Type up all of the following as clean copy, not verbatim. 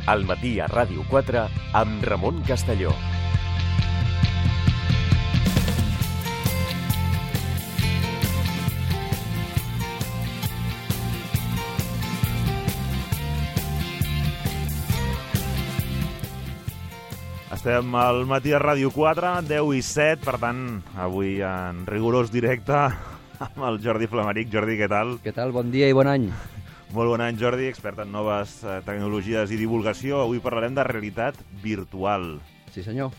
Al matí a Ràdio 4 amb Ramon Castelló. Estem al matí a Ràdio 4, 10 i 7, per tant, avui en rigorós directe amb el Jordi Flamaric. Jordi, què tal? Què tal? Bon dia i bon any. Molt bon any, Jordi, expert en noves tecnologies i divulgació. Avui parlarem de realitat virtual. Sí, senyor.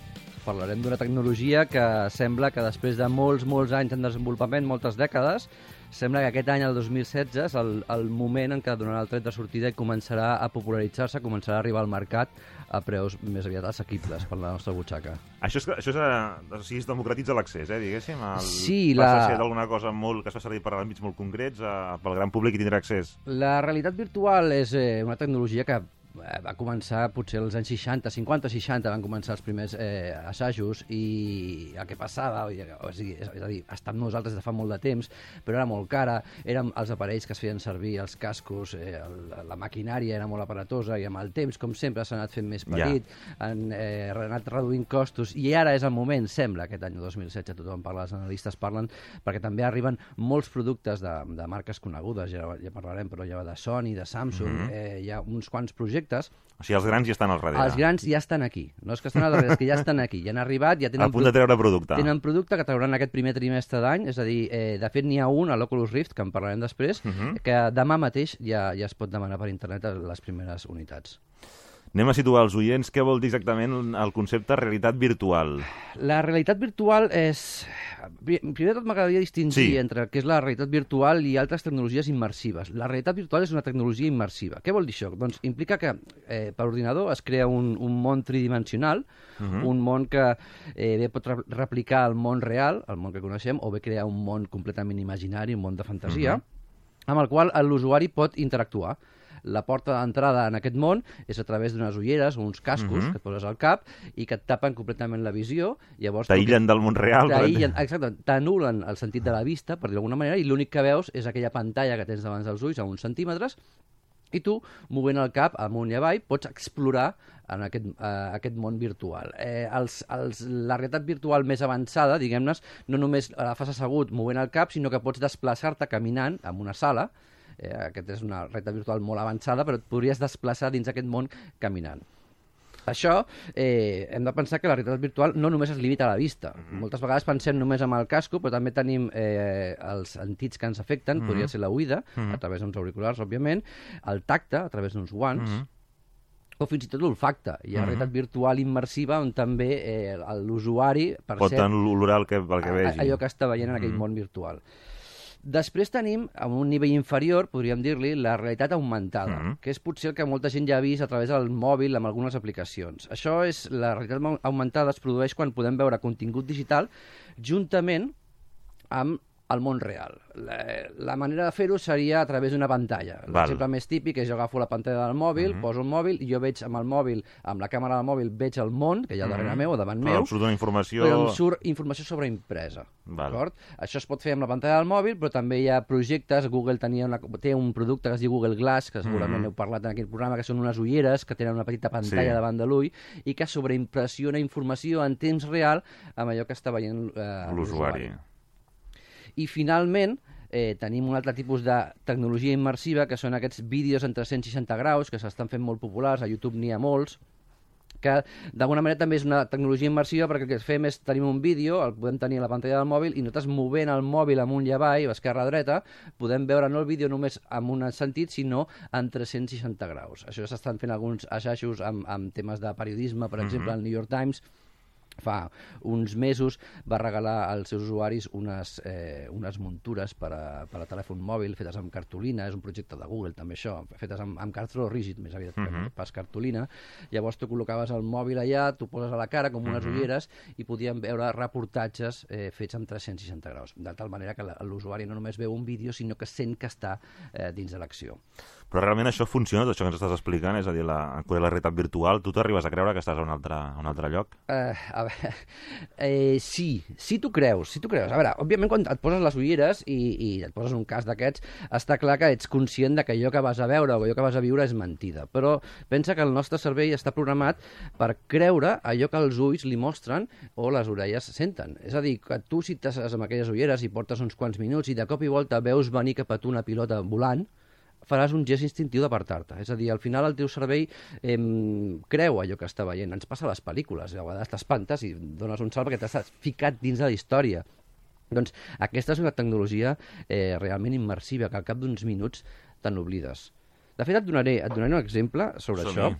Parlarem d'una tecnologia que sembla que després de molts anys en desenvolupament, moltes dècades, sembla que aquest any, el 2016, és el moment en què donarà el tret de sortida i començarà a popularitzar-se, començarà a arribar al mercat a preus més aviat assequibles per la nostra butxaca. Això es democratitza l'accés, diguéssim? Sí, passa a ser d'alguna cosa que es fa servir per àmbits molt concrets, pel gran públic i tindrà accés. La realitat virtual és una tecnologia que va començar potser als anys 60, 50-60 van començar els primers assajos i el que passava, és a dir, està amb nosaltres des de fa molt de temps, però era molt cara, eren els aparells que es feien servir, els cascos, la maquinària era molt aparatosa i amb el temps, com sempre, s'ha anat fent més petit, han anat reduint costos i ara és el moment, sembla, aquest any 2016, tothom parla, els analistes parlen, perquè també arriben molts productes de marques conegudes, ja parlarem, però ja va de Sony, de Samsung, hi ha uns quants projectes. O sigui, els grans ja estan al darrere. Els grans ja estan aquí. No és que estan al darrere, és que ja estan aquí. Ja han arribat, ja tenen... A punt de treure producte. Tenen producte que trauran aquest primer trimestre d'any, és a dir, de fet n'hi ha un, a l'Oculus Rift, que en parlarem després, que demà mateix ja es pot demanar per internet a les primeres unitats. Anem a situar els oients. Què vol dir exactament el concepte realitat virtual? La realitat virtual és... Primer de tot m'agradaria distingir entre el que és la realitat virtual i altres tecnologies immersives. La realitat virtual és una tecnologia immersiva. Què vol dir això? Doncs implica que per ordinador es crea un món tridimensional, un món que bé pot replicar el món real, el món que coneixem, o bé crear un món completament imaginari, un món de fantasia, amb el qual l'usuari pot interactuar. La porta d'entrada en aquest món és a través d'unes ulleres o uns cascos que et poses al cap i que et tapen completament la visió. T'aïllen del món real. Exacte, t'anulen el sentit de la vista, per dir d'alguna manera, i l'únic que veus és aquella pantalla que tens davant dels ulls a uns centímetres i tu, movent el cap amunt i avall, pots explorar en aquest món virtual. La realitat virtual més avançada, diguem-ne, no només la fas assegut movent el cap, sinó que pots desplaçar-te caminant en una sala. Aquesta és una realitat virtual molt avançada, però et podries desplaçar dins aquest món caminant. Això, hem de pensar que la realitat virtual no només es limita a la vista. Moltes vegades pensem només en el casco, però també tenim els sentits que ens afecten, podria ser l'oïda, a través d'uns auriculars, òbviament, el tacte, a través d'uns guants, o fins i tot l'olfacte. Hi ha realitat virtual immersiva on també l'usuari pot olorar el que vegi. Allò que està veient en aquell món virtual. Després tenim, a un nivell inferior, podríem dir-li, la realitat augmentada, que és potser el que molta gent ja ha vist a través del mòbil amb algunes aplicacions. La realitat augmentada es produeix quan podem veure contingut digital juntament amb el món real. La manera de fer-ho seria a través d'una pantalla. L'exemple més típic és jo agafo la pantalla del mòbil, poso el mòbil i jo veig amb el mòbil, amb la càmera del mòbil, veig el món, que hi ha darrere meu o davant meu, em surt una informació... però em surt informació sobreimpresa. Això es pot fer amb la pantalla del mòbil, però també hi ha projectes. Google té un producte que es diu Google Glass, que segurament heu parlat en aquest programa, que són unes ulleres que tenen una petita pantalla davant de l'ull i que sobreimpressiona informació en temps real amb allò que està veient l'usuari. I finalment tenim un altre tipus de tecnologia immersiva que són aquests vídeos en 360 graus que s'estan fent molt populars, a YouTube n'hi ha molts, que d'alguna manera també és una tecnologia immersiva perquè el que fem és tenim un vídeo, el podem tenir a la pantalla del mòbil i nosaltres movent el mòbil amunt i avall, a esquerra a dreta, podem veure no el vídeo només en un sentit, sinó en 360 graus. Això s'estan fent alguns assajos amb temes de periodisme, per exemple, el New York Times fa uns mesos va regalar als seus usuaris unes muntures per a telèfon mòbil fetes amb cartolina, és un projecte de Google també això, fetes amb cartró rígid més aviat que pas cartolina. Llavors tu col·locaves el mòbil allà, tu poses a la cara com unes ulleres i podíem veure reportatges fets amb 360 graus, de tal manera que l'usuari no només veu un vídeo sinó que sent que està dins de l'acció. Però realment això funciona, tot això que ens estàs explicant, és a dir, la realitat virtual, tu t'arribes a creure que estàs a un altre lloc? A si t'ho creus. A veure, òbviament, quan et poses les ulleres i et poses un cas d'aquests, està clar que ets conscient de que allò que vas a veure o allò que vas a viure és mentida. Però pensa que el nostre cervell està programat per creure allò que els ulls li mostren o les orelles senten. És a dir, que tu, si t'has amb aquelles ulleres i portes uns quants minuts i de cop i volta veus venir cap a tu una pilota volant, faràs un gest instintiu d'apartar-te. És a dir, al final el teu cervell creu allò que està veient. Ens passa a les pel·lícules. A vegades t'espantes i dones un salt perquè t'has ficat dins de la història. Doncs aquesta és una tecnologia realment immersiva, que al cap d'uns minuts te n'oblides. De fet, et donaré un exemple sobre això.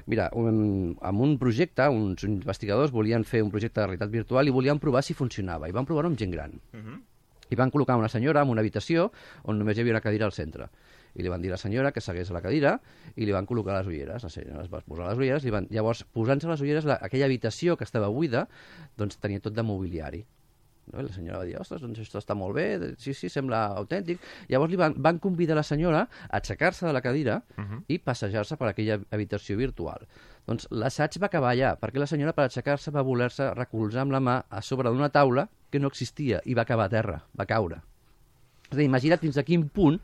Mira, amb un projecte, uns investigadors volien fer un projecte de realitat virtual i volien provar si funcionava. I van provar-ho amb gent gran. I van col·locar una senyora en una habitació on només hi havia una cadira al centre. I li van dir a la senyora que segués a la cadira i li van col·locar les ulleres. La senyora es va posar les ulleres, llavors, posant-se les ulleres, aquella habitació que estava buida, doncs tenia tot de mobiliari. No? I la senyora va dir, ostres, doncs això està molt bé, sí, sembla autèntic. Llavors li van convidar la senyora a aixecar-se de la cadira i passejar-se per aquella habitació virtual. Doncs l'assaig va acabar allà, perquè la senyora, per aixecar-se, va voler-se recolzar amb la mà a sobre d'una taula que no existia i va acabar a terra, va caure. És a dir, imagina't fins a quin punt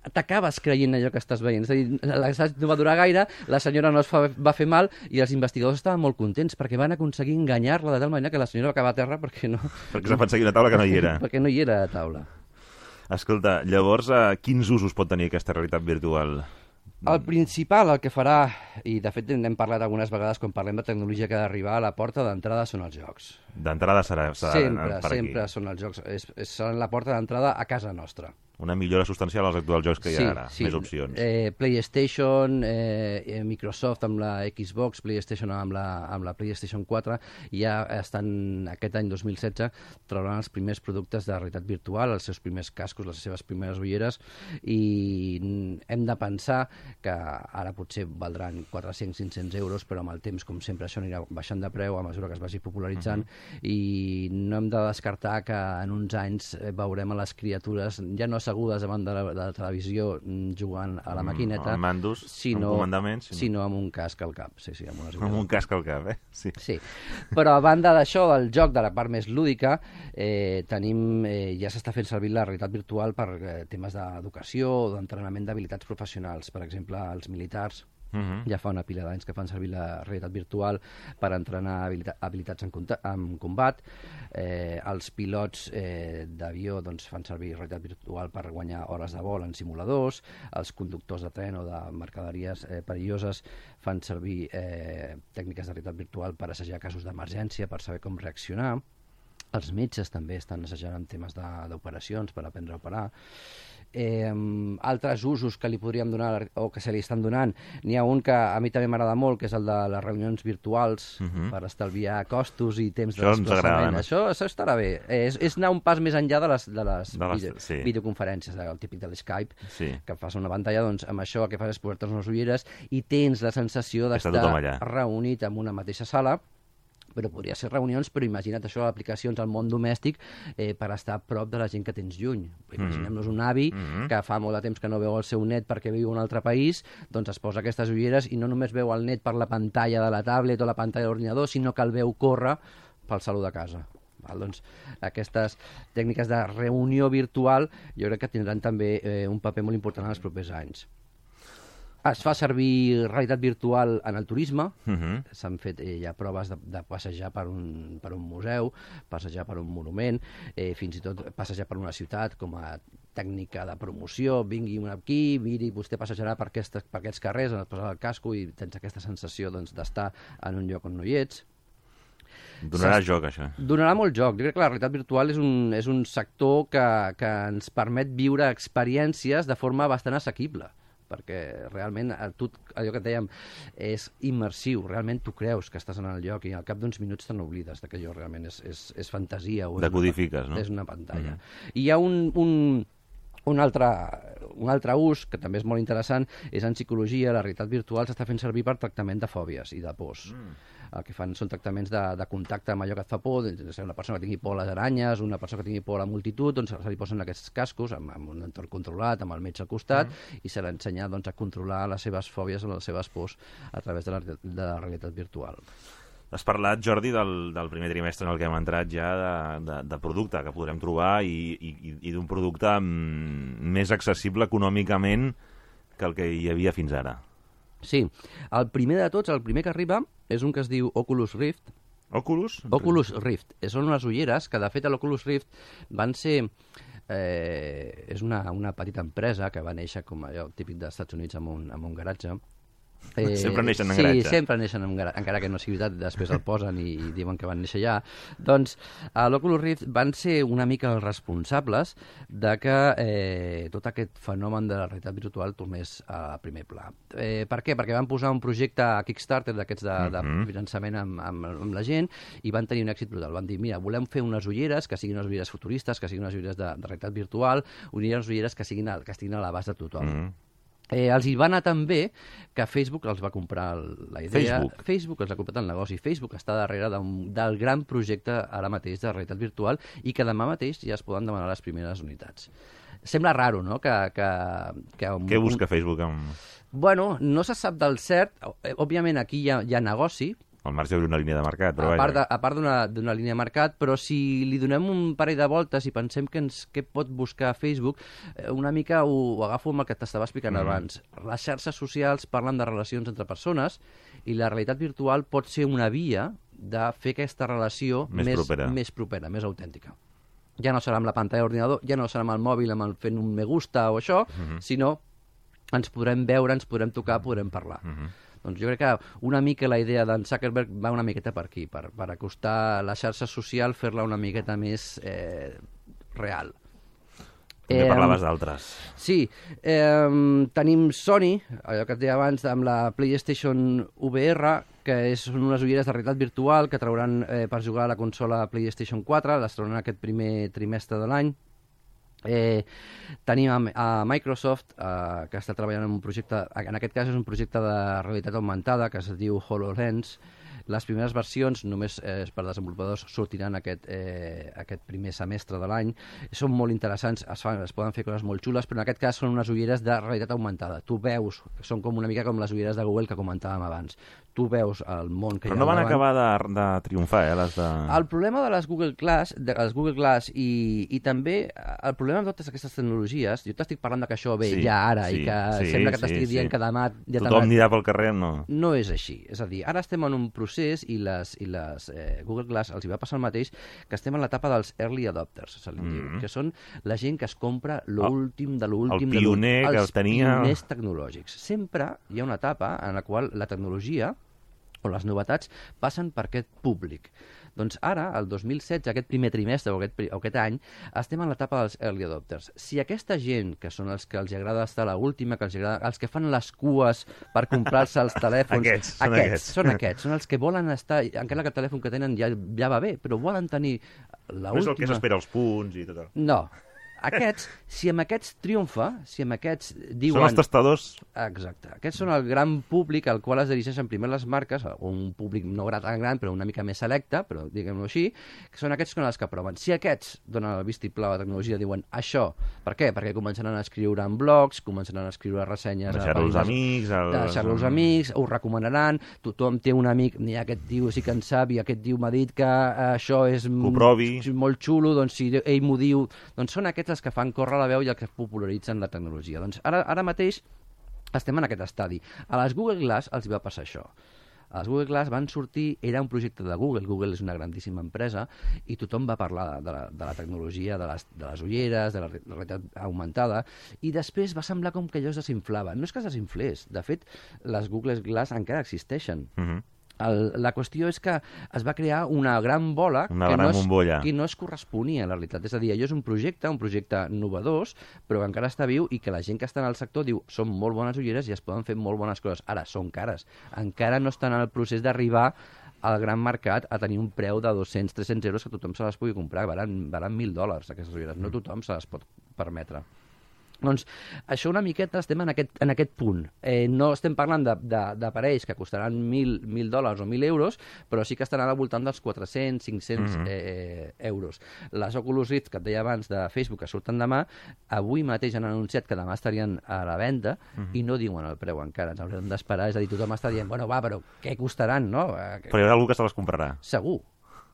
t'acabes creient allò que estàs veient. És a dir, l'assaig no va durar gaire, la senyora no va fer mal i els investigadors estaven molt contents perquè van aconseguir enganyar-la de tal manera que la senyora va acabar a terra perquè no... Perquè s'ha fet seguir una taula que no hi era. Perquè no hi era a taula. Escolta, llavors, quins usos pot tenir aquesta realitat virtual? El principal, el que farà, i de fet n'hem parlat algunes vegades quan parlem de tecnologia que ha d'arribar, a la porta d'entrada són els jocs. D'entrada serà sempre són els jocs. Seran la porta d'entrada a casa nostra. Una millora substancial als actuals jocs que hi ha ara, més opcions. PlayStation, Microsoft amb la Xbox, PlayStation amb la PlayStation 4, ja estan, aquest any 2016, trauran els primers productes de realitat virtual, els seus primers cascos, les seves primeres ulleres, i hem de pensar que ara potser valdran 400-500 euros, però amb el temps, com sempre, això anirà baixant de preu a mesura que es vagi popularitzant, i no hem de descartar que en uns anys veurem a les criatures ja no assegudes davant de la televisió jugant a la maquineta, amb mandos, amb comandaments, sinó amb un casc al cap. Sí, amb un casc al cap, Sí. Però a banda d'això, del joc, de la part més lúdica, ja s'està fent servir la realitat virtual per temes d'educació o d'entrenament d'habilitats professionals. Per exemple, els militars ja fa una pila d'anys que fan servir la realitat virtual per entrenar habilitats en combat. Els pilots d'avió fan servir realitat virtual per guanyar hores de vol en simuladors. Els conductors de tren o de mercaderies perilloses fan servir tècniques de realitat virtual per assajar casos d'emergència, per saber com reaccionar. Els metges també estan assajant en temes d'operacions per aprendre a operar. Altres usos que li podríem donar o que se li estan donant, n'hi ha un que a mi també m'agrada molt, que és el de les reunions virtuals per estalviar costos i temps de desplaçament. Això estarà bé. És anar un pas més enllà de les videoconferències, el típic de l'Skype, que fas una pantalla, doncs amb això el que fas és posar-te unes ulleres i tens la sensació d'estar reunit en una mateixa sala. Però podria ser reunions, però imagina't això, aplicacions al món domèstic per estar a prop de la gent que tens lluny. Imaginem-nos un avi que fa molt de temps que no veu el seu net perquè viu en un altre país, doncs es posa aquestes ulleres i no només veu el net per la pantalla de la tablet o la pantalla de l'ordinador, sinó que el veu córrer pel saló de casa. Doncs aquestes tècniques de reunió virtual jo crec que tindran també un paper molt important en els propers anys. Es fa servir realitat virtual en el turisme. S'han fet ja proves de passejar per un museu, passejar per un monument, fins i tot passejar per una ciutat com a tècnica de promoció. Vingui un aquí, miri, vostè passejarà per aquests carrers, et posa el casco i tens aquesta sensació d'estar en un lloc on no hi ets. Donarà joc, això. Donarà molt joc. Jo crec que la realitat virtual és un sector que ens permet viure experiències de forma bastant assequible, perquè realment allò que et dèiem és immersiu, realment tu creus que estàs en el lloc i al cap d'uns minuts te n'oblides que allò realment és fantasia o decodifiques, no? És una pantalla. I hi ha un altre ús, que també és molt interessant, és en psicologia. La realitat virtual s'està fent servir per tractament de fòbies i de pors. El que fan són tractaments de contacte amb allò que et fa por, una persona que tingui por a les aranyes, una persona que tingui por a la multitud, doncs se li posen aquests cascos amb un entorn controlat, amb el metge al costat, i se l'ensenya a controlar les seves fòbies o les seves pors a través de la realitat virtual. Has parlat, Jordi, del primer trimestre en el que hem entrat ja de producte que podrem trobar i d'un producte més accessible econòmicament que el que hi havia fins ara. Sí, el primer de tots, el primer que arriba, és un que es diu Oculus Rift. Oculus? Oculus Rift. Són unes ulleres que, de fet, a l'Oculus Rift van ser... és una petita empresa que va néixer com allò típic dels Estats Units en un garatge. Sempre neixen en garatge. Sí, sempre neixen en garatge, encara que no sigui veritat, després el posen i diuen que van néixer allà. Doncs a l'Oculus Rift van ser una mica els responsables de que tot aquest fenomen de la realitat virtual tornés a primer pla. Per què? Perquè van posar un projecte a Kickstarter d'aquests de finançament amb la gent i van tenir un èxit brutal. Van dir, mira, volem fer unes ulleres que siguin unes ulleres futuristes, que siguin unes ulleres de realitat virtual, unes ulleres que estiguin a l'abast de tothom. Els hi va anar tan bé que Facebook els va comprar la idea. Facebook els ha comprat el negoci. Facebook està darrere del gran projecte ara mateix de realitat virtual i que demà mateix ja es poden demanar les primeres unitats. Sembla raro, no? Què busca Facebook? Bueno, no se sap del cert. Òbviament aquí hi ha negoci, al marge d'una línia de mercat, però a part d'una línia de mercat, però si li donem un parell de voltes i pensem què pot buscar Facebook, una mica ho agafo amb el que t'estava explicant abans. Les xarxes socials parlen de relacions entre persones i la realitat virtual pot ser una via de fer aquesta relació més propera, més autèntica. Ja no serà amb la pantalla d'ordinador, ja no serà amb el mòbil fent un me gusta o això, sinó ens podrem veure, ens podrem tocar, podrem parlar. Doncs jo crec que una mica la idea d'en Zuckerberg va una miqueta per aquí, per acostar la xarxa social, fer-la una miqueta més real. També parlaves d'altres. Sí, tenim Sony, allò que et deia abans, amb la PlayStation VR, que són unes ulleres de realitat virtual que trauran per jugar a la consola PlayStation 4, les trauran aquest primer trimestre de l'any. Tenim a Microsoft que està treballant en un projecte, en aquest cas és un projecte de realitat augmentada que es diu HoloLens. Les primeres versions, només per desenvolupadors, sortiran aquest primer semestre de l'any. Són molt interessants, es poden fer coses molt xules, però en aquest cas són unes ulleres de realitat augmentada. Tu veus, són com una mica com les ulleres de Google que comentàvem abans. Tu veus el món que hi ha davant. Però no van acabar de triomfar, les de... El problema de les Google Glass i també el problema de totes aquestes tecnologies, jo t'estic parlant que això ve ja ara i que sembla que t'estic dient que demà... Tothom anirà pel carrer, no? No és així. És a dir, ara estem en un procés i les Google Glass els hi va passar el mateix, que estem en l'etapa dels early adopters, que són la gent que es compra l'últim de l'últim, el pioner que tenia... els pioners tecnològics. Sempre hi ha una etapa en la qual la tecnologia o les novetats passen per aquest públic. Doncs ara, el 2016, aquest primer trimestre o aquest any, estem en l'etapa dels early adopters. Si aquesta gent, que són els que els agrada estar a l'última, els que fan les cues per comprar-se els telèfons... Són els que volen estar... Encara que el telèfon que tenen ja va bé, però volen tenir l'última... No és el que s'espera els punts i tot. No. Si amb aquests triomfa, si amb aquests diuen... Són els testadors. Exacte. Aquests són el gran públic al qual es dirigeixen primer les marques, un públic no tan gran, però una mica més selecte, però diguem-ho així, que són aquests que proven. Si aquests donen el vistiplau a la tecnologia, diuen això, per què? Perquè començaran a escriure en blogs, començaran a escriure ressenyes... Deixar-los als amics, ho recomanaran, tothom té un amic, aquest tio sí que en sap, i aquest tio m'ha dit que això és molt xulo, doncs si ell m'ho diu... Doncs són aquests els que fan córrer la veu i els que popularitzen la tecnologia. Doncs ara mateix estem en aquest estadi. A les Google Glass els va passar això. A les Google Glass van sortir, era un projecte de Google, Google és una grandíssima empresa, i tothom va parlar de la tecnologia, de les ulleres, de la realitat augmentada, i després va semblar com que allò es desinflava. No és que es desinflés, de fet, les Google Glass encara existeixen. La qüestió és que es va crear una gran bola que no es corresponia a la realitat. És a dir, allò és un projecte novedós, però que encara està viu i que la gent que està en el sector diu són molt bones ulleres i es poden fer molt bones coses. Ara, són cares. Encara no estan en el procés d'arribar al gran mercat a tenir un preu de 200-300 euros que tothom se les pugui comprar. Valen $1.000 aquestes ulleres. No tothom se les pot permetre. Doncs això una miqueta estem en aquest punt. No estem parlant d'aparells que costaran $1.000 o 1.000 euros, però sí que estaran al voltant dels 400-500 euros. Les Oculus Rift, que et deia abans, de Facebook, que surten demà, avui mateix han anunciat que demà estarien a la venda i no diuen el preu encara. Ens haurem d'esperar, és a dir, tothom està dient, bueno, va, però què costaran, no? Però hi haurà algú que se les comprarà. Segur.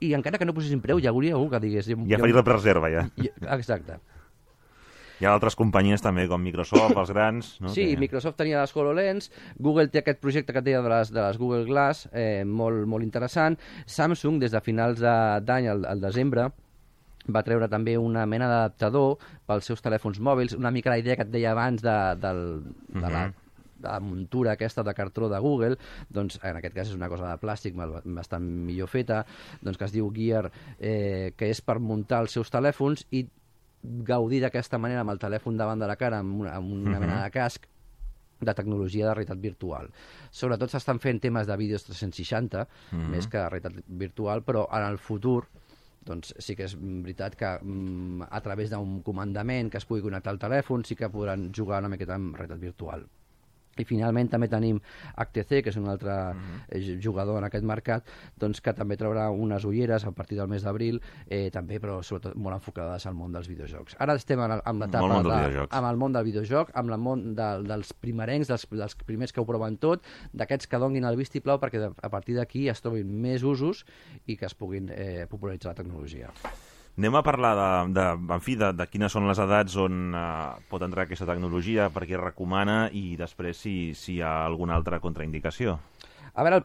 I encara que no posessin preu, hi hauria algú que digués... Ja faria la prereserva, ja. Exacte. Hi ha altres companyies també, com Microsoft, els grans... No? Sí, Microsoft tenia les HoloLens, Google té aquest projecte que et deia de les Google Glass, molt interessant. Samsung, des de finals d'any, al desembre, va treure també una mena d'adaptador pels seus telèfons mòbils, una mica la idea que et deia abans de la muntura aquesta de cartró de Google, doncs en aquest cas és una cosa de plàstic bastant millor feta, doncs que es diu Gear, que és per muntar els seus telèfons i gaudir d'aquesta manera amb el telèfon davant de la cara, amb una mena de casc de tecnologia de realitat virtual. Sobretot s'estan fent temes de vídeos 360, més que realitat virtual, però en el futur doncs sí que és veritat que a través d'un comandament que es pugui connectar al telèfon sí que podran jugar una miqueta amb realitat virtual. I finalment també tenim HTC, que és un altre jugador en aquest mercat, doncs que també traurà unes ulleres a partir del mes d'abril, també, però sobretot molt enfocades al món dels videojocs. Ara estem amb l'etapa amb el món del videojoc, amb el món dels primerencs, dels primers que ho proven tot, d'aquests que donin el vistiplau perquè a partir d'aquí es trobin més usos i que es puguin popularitzar la tecnologia. Anem a parlar de quines són les edats on pot entrar aquesta tecnologia, per què es recomana i després si hi ha alguna altra contraindicació. A veure,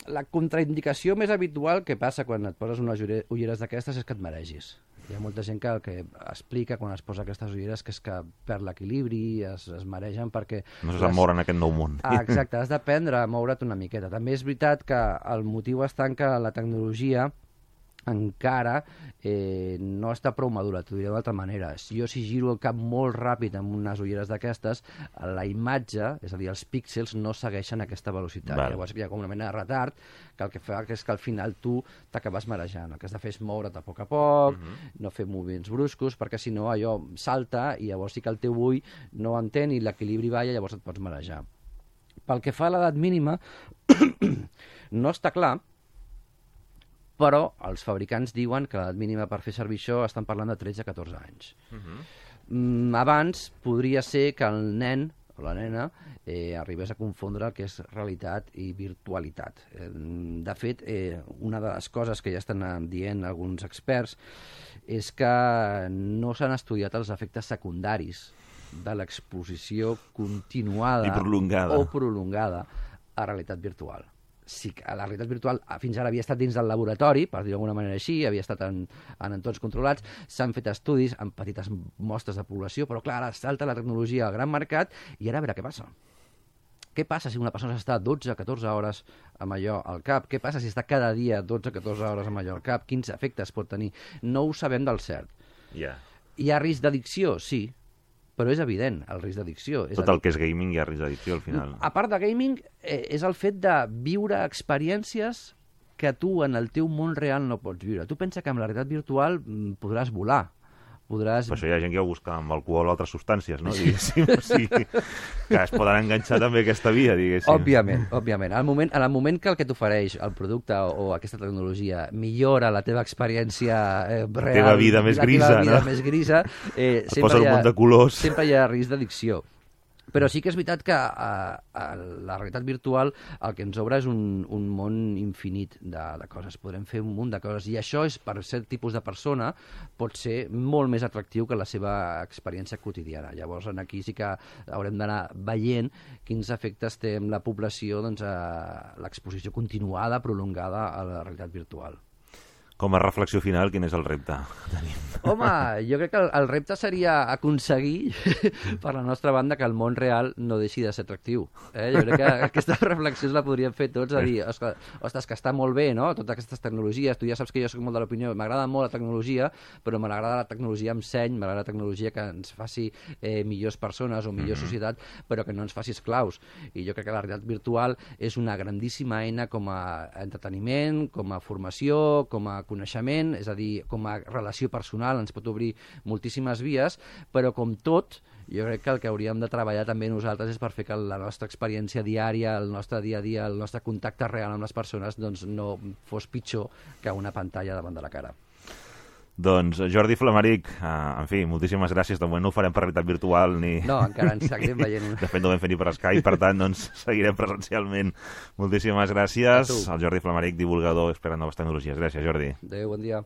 la contraindicació més habitual que passa quan et poses unes ulleres d'aquestes és que et maregis. Hi ha molta gent que el que explica quan es posa aquestes ulleres que és que perd l'equilibri, es maregen perquè... No se sap moure en aquest nou món. Exacte, has d'aprendre a moure't una miqueta. També és veritat que el motiu està en que la tecnologia encara no està prou madura, t'ho diré d'altra manera. Jo si giro el cap molt ràpid amb unes ulleres d'aquestes, la imatge, és a dir, els píxels no segueixen aquesta velocitat. Llavors hi ha com una mena de retard que el que fa és que al final tu t'acabes marejant. El que has de fer és moure't a poc, no fer moviments bruscos, perquè si no allò salta i llavors sí que el teu ull no ho entén i l'equilibri balla i llavors et pots marejar. Pel que fa a l'edat mínima, no està clar, però els fabricants diuen que l'edat mínima per fer servir això estan parlant de 13-14 anys. Abans podria ser que el nen o la nena arribés a confondre el que és realitat i virtualitat. De fet, una de les coses que ja estan dient alguns experts és que no s'han estudiat els efectes secundaris de l'exposició continuada o prolongada a realitat virtual. Sí que la realitat virtual fins ara havia estat dins del laboratori, per dir-ho d'alguna manera així, havia estat en entorns controlats, s'han fet estudis amb petites mostres de població, però clar, ara salta la tecnologia al gran mercat i ara a veure què passa. Què passa si una persona està 12-14 hores amb allò al cap? Què passa si està cada dia 12-14 hores amb allò al cap? Quins efectes pot tenir? No ho sabem del cert. Hi ha risc d'addicció? Sí. Però és evident el risc d'addicció. Tot el que és gaming hi ha risc d'addicció al final. A part de gaming, és el fet de viure experiències que tu en el teu món real no pots viure. Tu pensa que amb la realitat virtual podràs volar. Per això hi ha gent que ho busca amb alcohol o altres substàncies, no? Diguéssim, o sigui, que es poden enganxar també aquesta via, diguéssim. Òbviament. En el moment que el que t'ofereix el producte o aquesta tecnologia millora la teva experiència real, la teva vida més grisa, posa un munt de colors. Sempre hi ha risc d'addicció. Però sí que és veritat que la realitat virtual el que ens obre és un món infinit de coses. Podrem fer un munt de coses i això és, per cert tipus de persona, pot ser molt més atractiu que la seva experiència quotidiana. Llavors aquí sí que haurem d'anar veient quins efectes té en la població l'exposició continuada, prolongada a la realitat virtual. Com a reflexió final, quin és el repte que tenim? Home, jo crec que el repte seria aconseguir, per la nostra banda, que el món real no deixi de ser atractiu. Jo crec que aquesta reflexió la podríem fer tots, a dir, ostres, que està molt bé, no?, totes aquestes tecnologies. Tu ja saps que jo soc molt de l'opinió, m'agrada molt la tecnologia, però m'agrada la tecnologia amb seny, m'agrada la tecnologia que ens faci millors persones o millor societat, però que no ens faci esclaus. I jo crec que la realitat virtual és una grandíssima eina com a entreteniment, com a formació, com a coneixement, és a dir, com a relació personal, ens pot obrir moltíssimes vies, però com tot, jo crec que el que hauríem de treballar també nosaltres és per fer que la nostra experiència diària, el nostre dia a dia, el nostre contacte real amb les persones doncs no fos pitjor que una pantalla davant de la cara. Doncs Jordi Flamaric, en fi, moltíssimes gràcies. De moment no ho farem per realitat virtual ni... No, encara ens seguirem veient. De fet, no ho vam fer ni per Skype, per tant, doncs seguirem presencialment. Moltíssimes gràcies. El Jordi Flamaric, divulgador, expert en noves tecnologies. Gràcies, Jordi. Adéu, bon dia.